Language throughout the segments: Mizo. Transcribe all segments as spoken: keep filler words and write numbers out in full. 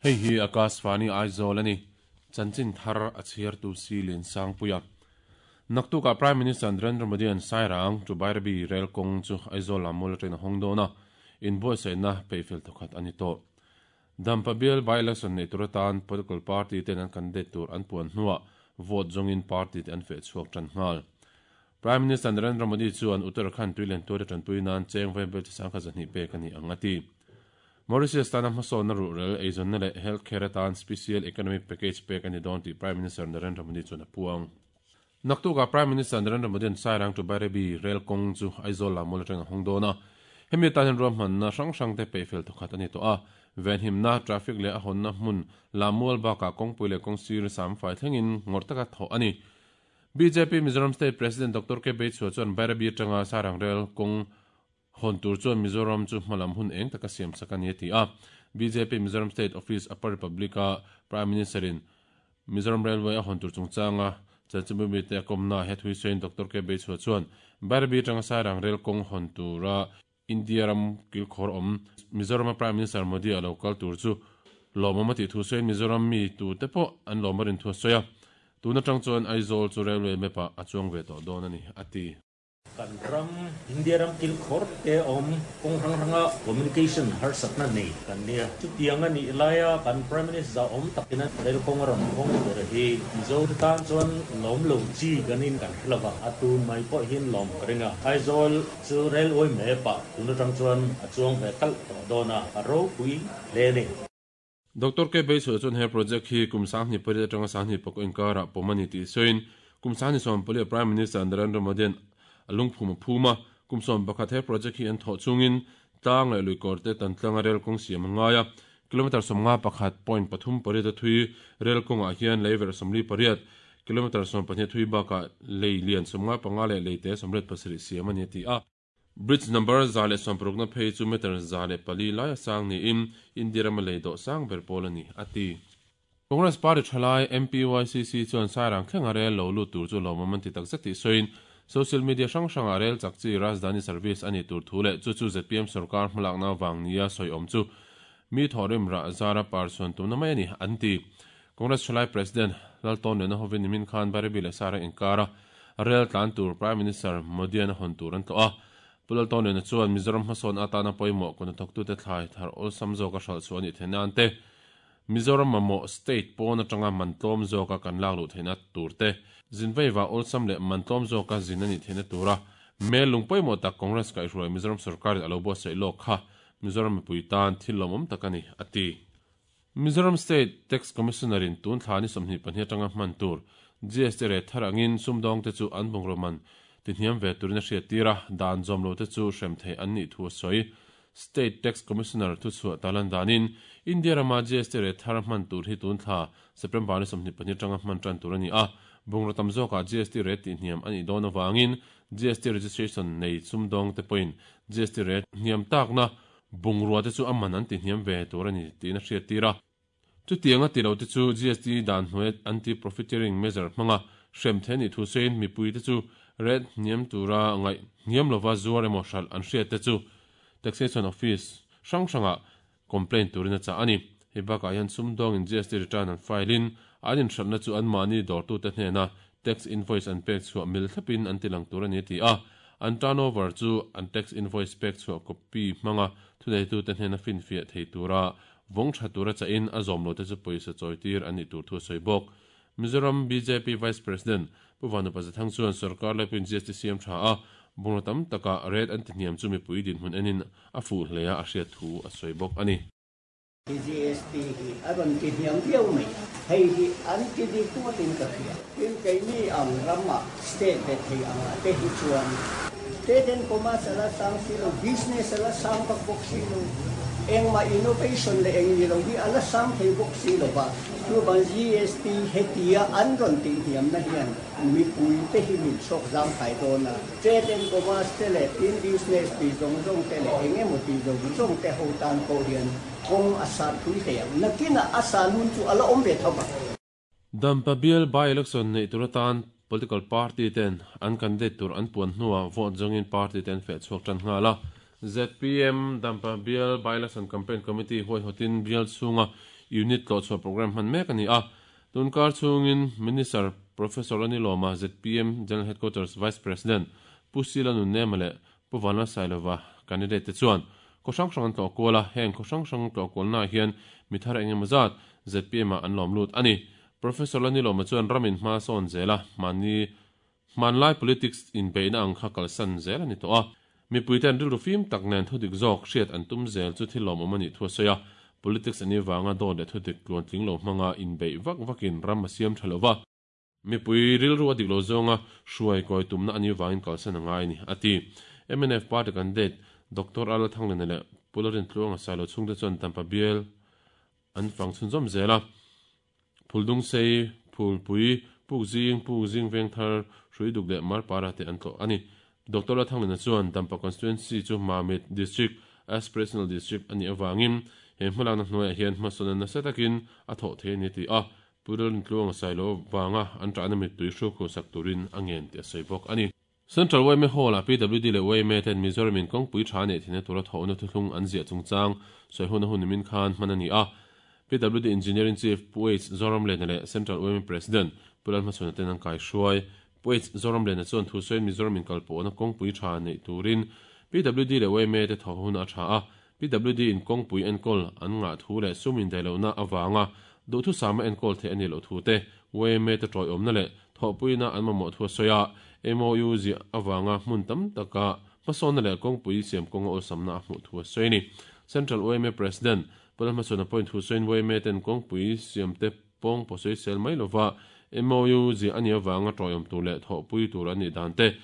Hei hi Akashvani Aizawl ani. Chanchin thar a chhiar tu si Lian Sangpuia. Naktuka Prime Minister Narendra Modi an Sairang to Bairabi rail kawng chu Aizawl lammual atangin a hawng dawn a, inbuatsaihna peihfel thawkhat a ni tawh. Dampa bial by-election nei tur atan political party ten an candidate tur an puan hnuah vote zawngin party te an feh chhuak tan nghal. Prime Minister Narendra Modi chuan Uttarakhand tuilen tuar tanpui nan cheng vaibel chi sangkhat zahnih pek a ni ang a ti. Mauritius tana hmasawnna ruhrel eizawnna leh healthcare atan special economic package pek a ni dawn tih Prime Minister Narendra Modi chuan a puang. Naktuka Prime Minister Narendra Modi an Sairang to Bairabi rail kawng chu Aizawl lammual atangin a hawng dawn a. Hemi atan hian ruahmanna hrang hrang te peihfel thawkhat a ni tawh a. Venhimna, traffic leh a hawnna hmun lammual bakah kawngpui leh kawngsir sam fai thlengin ngawrh taka thawh a ni. B J P Mizoram State President Doctor K Beichhua chuan Bairabi atanga Sairang rail kawng hawn tur chuan Mizoram chu hmalam hun eng taka siam sak a ni a ti a. B J P Mizoram State Office Upper Republic-a Prime Minister in Mizoram Railway a hawn tur chungchanga chanchinbu mi te a kawmna he thui sawiin Doctor K Beichhua chuan Bairabi atanga Sairang rail kawng hawn tura India ram kilkhawr awm Mizoram Prime Minister Modi a lo kal tur chu lawmawm a tih thu sawiin Mizoram mi tu te pawh an lawm a rin thu a sawi a. Tun atang chuan Aizawl chu railway map ah a chuang ve tawh dawn a ni a ti. Kan ram India ram kilkhawr te awm kawng hrang hranga communication harsatna nei kan nia. Chutiang a nih laia kan Prime Minister awm takina rail kawng a rawn hawng tur hi Mizo te tan chuan lawm lo chi kanin kan hrelova, a tun mai pawh hian lawm ka ring a. Aizawl chu railway map ah tun atang chuan a chuang ve talh tawh dawn a, a ropui hle a ni. Doctor K Beichhua chuan he project hi kum sanghnih pariat atanga sanghnih pakua inkarah pawm a ni tih sawiin kum sanghnih sawm pali Prime Minister Narendra Modi an a lungphum a phum a, kum sawm pakhat he project hi an thawh chungin tlang leh luikawr te tan tlanga rail kawng siam a ngai a. Kilometer sawmnga pakhat point pathum pariat a thui rail kawngah hian lei verh sawmli pariat kilometer sawm pahnih thui bakah lei lian sawmnga panga leh lei te sawmriat pasarih siam a ni a ti a. Bridge number za leh sawm parukna phei chu meter za leh pali lai a sang niin India rama lei dawh sang ber pawl a ni a ti. Congress Party thalai M P Y C C chuan Sairang thlenga rail lo lut tur chu lawmawm an ti takzet tih sawiin social media hrang hranga rail chak chi Rajdhani service ani tur thu leh chu chu Z P M sarkar hmalakna wang nia sawi awm chu mi thawrim ra zara par chuan tumna mai ani an ti. Congress thalai President Laltawn lena hovin nimin khan Bairabi leh Sairang inkara rail tlan tur Prime Minister Modi an hawn tur an tawh a. Pu Laltawn lena chuan Mizoram hmasawn atana pawimawh kuna thawktute thlai thar awlsam zawka hral chu ani theihna an te Mizoram mamawh state pawn atanga mantlawm zawka kan lak luh theihna turte zinveiwa awlsam leh mantlawm zawka zin ani theihna tura mel lung pawimawh tak Congress kaihhruai Mizoram sarkar alo buatsaih lawk kha Mizoram mipui tan thil lawmawm tak ani a ti. Mizoram State Tax Commissioner in tun thla ni sawmhnih pahnih atanga hman tur G S T rate thar angin sumdawng te chu an bungraw man ti hniam ve turin a hriat tira dan zawm lo te chu hrem thei an nih thu a sawi. State Tax Commissioner thu chhuah talan danin India rama G S T rate thar hman tur hi tun thla September ni sawmhnih pahnih atanga hman tan tur ani a. Bungraw tam zawkah G S T rate ti hniam ani dawn awangin G S T registration nei sumdawng te pawhin G S T rate hniam takna bungrua te chu aman an ti hniam ve tur ani tiin a hriat tira. Chutianga ti lo te chu G S T dan hnuai anti profiteering measure hmanga hrem the ni thu sein mipui te chu rate hniam tura ngai hniam lova zuar emaw hral an hriat te chu taxation office hrang hranga complaint turin a chah ani. Hei bakah hian sumdawng in G S T return an file in an inhratna chu an mahni dawrtu te hnena tax invoice an pek chhuah mil thlapin an tilang tur ani ti a. An turnover chu an tax invoice pek chhuah copy hmanga thuneitu te hnena fin fiah thei tura vawng tha tura cha in a zawm lo te chu pawisa chawi tir ani tur thu sawi bawk. Mizoram B J P Vice President Pu Vanu Pazathang chuan sarkar laipui G S T siam tha a bungraw tam taka rate an ti hniam chu mipui din hmun enin a fuh hle a a hriat thu a sawi bawk ani. G S T hi a rawn ti hniam viau mai, hei hi an ti dik ngawtin ka hria. Tin, keini ang rama state ve thei anga te hi chuan trade and commerce ala sang si lo, business ala sang bak bawk si lo, engma innovation le eng ni lo hi ala sang thei bawk si lo ba. Chu ban G S T hetia an rawn ti hniam na hian mipui te hi min chhawk zang thai dawn a. Trade and commerce te le tin business ti zawng zawng te le engemaw ti zawng zawng te ho tan pawh hian kawng a san pui hle ang. Nakina a san hun chu ala awm ve thova. Dampa bial by election nei tur atan political party ten an candidate tur an puan hnuah vote zawngin party ten feh chhuak tan nghala. Z P M Dampa bial by election campaign committee huai hotin bial chhunga Unit tlo chhuah program hman mek ani a. Tunkar chungin Minister Professor Lalnilawma Z P M General Headquarters Vice President Pu Sila Nunnem leh Pu Vanlalsailova candidate te chuan khaw hrang hrang an tlawh kual a, heng khaw hrang hrang tlawh kualnaah hian mi thar eng emaw zat Z P M ah an lawm lut ani. Professor Lalnilawma chuan ramin hma sawn zel a, mahni hmanlai politics inbeihna ang kha kalsan zel ani tawh a. Mipui ten rilru fim tak nen thudik zawk hriat an tum zel chu thil lawmawm ani thu a sawi a. Politics ani wanga dawt leh thudik tluan tling lo hmanga inbeih vak vakin ram a siam tha lova. Mipui rilru a dik lo zawnga hruai kawi tumna ani wangin kalsan a ngai ni a ti. M N F party candidate Doctor Ala Thanglene leh Pu Lalrintluanga Sailo chhungte chuan Dampa bial an fang chhunzawm zel a. Phuldung sei, Phulpui, Pukzing, Pukzing Vengthar, Hruiduk leh Marpara te an tlawh ani. Doctor Ala Thanglene chuan Dampa constituency chu Mamit District Aspirational District ani awangin he hmalakna hnuaiah hian hmasawn an nasa takin a thawh thei ani ti a. Pu Lalrintluanga Sailo wanga an tahna mittui hru khusak turin a ngen tih a sawi bawk ani. Central Y M A Hall-ah P W D leh Y M A ten Mizoram in kawngpui tha nei thina tura thawhna thuthlung an ziah chungchang sawi hun a hun nimin khan hman ani a. P W D Engineering Chief Pu H Zoramlena leh Central Y M A President Pu Lalhmachhuana ten an kai hruai. Pu H Zoramlena chuan thu sawiin Mizoram in kalpawhna kawngpui tha nei turin P W D leh Y M A te thawh hun a tha a. P W D in kawngpui enkawl an ngah thu leh sum indaihlohna awanga duhthu sama enkawl theih ani loh thu te Y M A te tawiawmna leh thawhpuina an mamawh thu a sawi a. M O U ziah awanga hmun tam taka hmasawnna leh kawngpui siam kawnga awlsamna a hmuh thu a sawi ani. Central Y M A President Pu Lalhmachhuana pawhin thu sawiin Y M A ten kawngpui siam te pawng pawh sawi sel mai lova M O U ziah ani awanga tawiawm tur leh thawhpui tur an nih dan te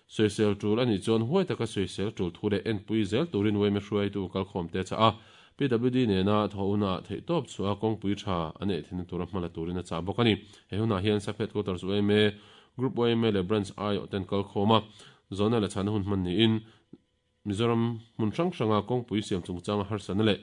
sawisel tul ani chuan huai taka sawisel tul thu leh enpui zel turin Y M A hruaitu kalkhawm te cha a. P W D nena thawhuna theih tawp chu a kawngpui tha an eh thina tura hmala turin a chah bawk ani. He hunah hian sub headquarters Y M A Group Y M A leh Branch I aw ten kalkhawm a. Zona leh chhana hun hman niin Mizoram hmun hrang hranga kawngpui siam chungchang a harsana leh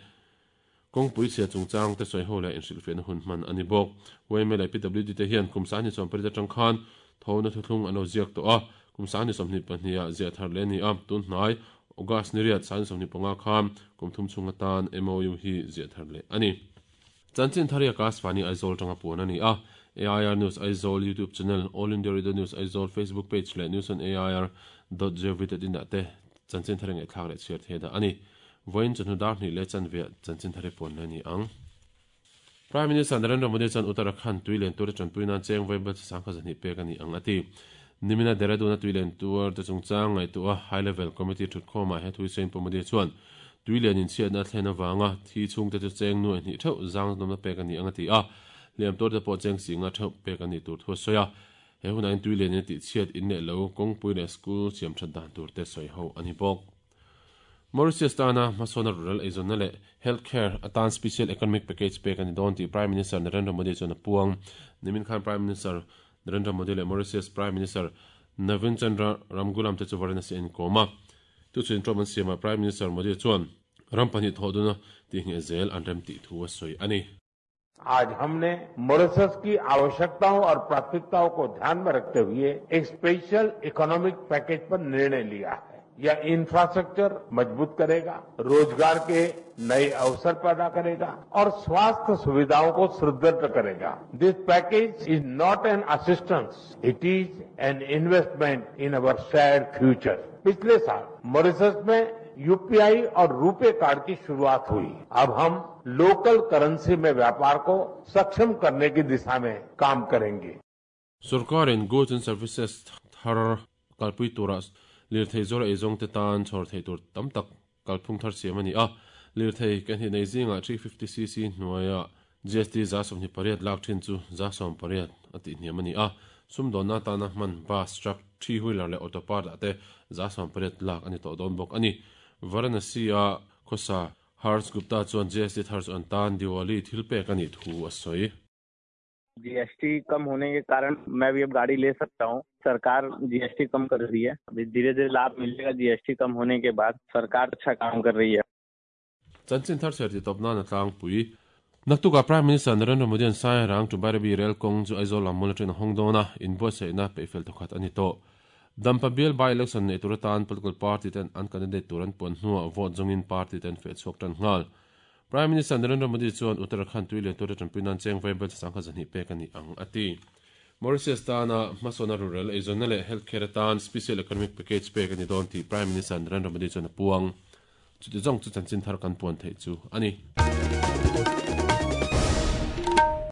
kawngpui chhia chungchang te sawi ho leh inhrilhfiahna hun hman ani bawk. Y M A leh P W D te hian kum sahni sawm pariat atang khan thawhna thuthlung an lo ziak tawh a. Kum sahni sawmhnih pahnih ah ziah thar leh ani a. Tun hnai August ni riat sahni sawmhnih panga khan kum thum chhung atan M O U hi ziah thar leh ani. Chanchin Tharia Kaswani Aizawl tanga puan ani a. A I R News Aizawl YouTube channel, All India Radio News Aizawl Facebook page leh news on A I R dot gov dot in ah te Chanchin Thari ngai thlak leh chhiar the da ani. Voin chunhu dar hnih leh chanve Chanchin Thari puan le ani ang. Prime Minister Narendra Modi chan Uttarakhand tuilen tur chanpui nan cheng vaibel sangkha zahnih pek ani ang ati. Nimina Dehradun a tuilen tur te chungchang ngai tu a high level committee thutkhawmah he thui sain Pu Modi chuan tuilen in chhiatna thlen awanga thi chhung te chu cheng nuai hnih theuh zang nawmna pek ani ang ati a. Liam tur te pawh cheng singa theuh pek ani tur thu a sawi a. He hunah in tuilen in tih chhiat in leh lo kawngpui leh school siam that dan tur te sawi ho ani bawk. Mauritius tana hmasawn rural eizawnna leh healthcare atan special economic package pek ani dawn tih Prime Minister Narendra Modi chuan a puang. Nimin khan Prime Minister Narendra Modi leh Mauritius Prime Minister Navin Chandra Ramgoolam te chu Varanasi an kawm a. Tu chuan ṭawm an siamah Prime Minister Modi chuan ram pahnih thawh duna tih ngheh zel an rem tih thu a sawi ani. आज हमने Mauritius की आवश्यकताओं और प्राथमिकताओं को ध्यान में रखते हुए एक special economic package पर निर्णय लिया है। यह इंफ्रास्ट्रक्चर मजबूत करेगा, रोजगार के नए अवसर पैदा करेगा और स्वास्थ्य सुविधाओं को सुदृढ़ करेगा। This package is not an assistance, it is an investment in our shared future. पिछले साल मॉरिशस में यूपीआई और रुपे कार्ड की शुरुआत हुई। अब हम लोकल करेंसी में व्यापार को सक्षम करने की दिशा में काम करेंगे। सरकार in goods and services thar kalpui tura lirthei zawr eizawng te tan chhawr thei tur tam tak kalphung thar siam ani a. Lirthei kan hi nei zinga three fifty c c hnuaia G S T za sawmhnih pariat lak thin chu za sawm pariat a tih hniam ani a. Sumdawnna tana hman bus truck three wheeler leh auto part ah te za sawm pariat lak ani tawh dawn bawk ani. Varanasi a khosa Harsh Gupta chuan G S T thar chu an tan Diwali thil pek ani thu a sawi. G S T कम होने के कारण मैं भी अब गाड़ी ले सकता हूँ। सरकार G S T कम कर रही है, अभी धीरे धीरे लाभ मिलेगा। G S T कम होने के बाद सरकार अच्छा काम कर रही है। Chanchin thar cher ti topna na tlang pui. Naktuka Prime Minister Narendra Modi an sai rang tu Bairabi rail kawng chu Aizawl lam mawla train a hawng dawn a, inbuatsaihna peihfel thawkhat ani tawh. Dampa bial by election nei tur atan political party ten an candidate tur an puan hnuah vote zawngin party ten feh chhuak tan nghal. Prime Minister Narendra Modi chuan Uttarakhand tui lian tura tanpui nan cheng vaibel sangkhat zahnih pek ani ang ati. Mauritius tana hmasawna rural eizawnna leh healthcare atan special economic package pek ani dawn tih Prime Minister Narendra Modi chuan a puang. Chuti zawng chu chanchin thar kan puan theih chu ani.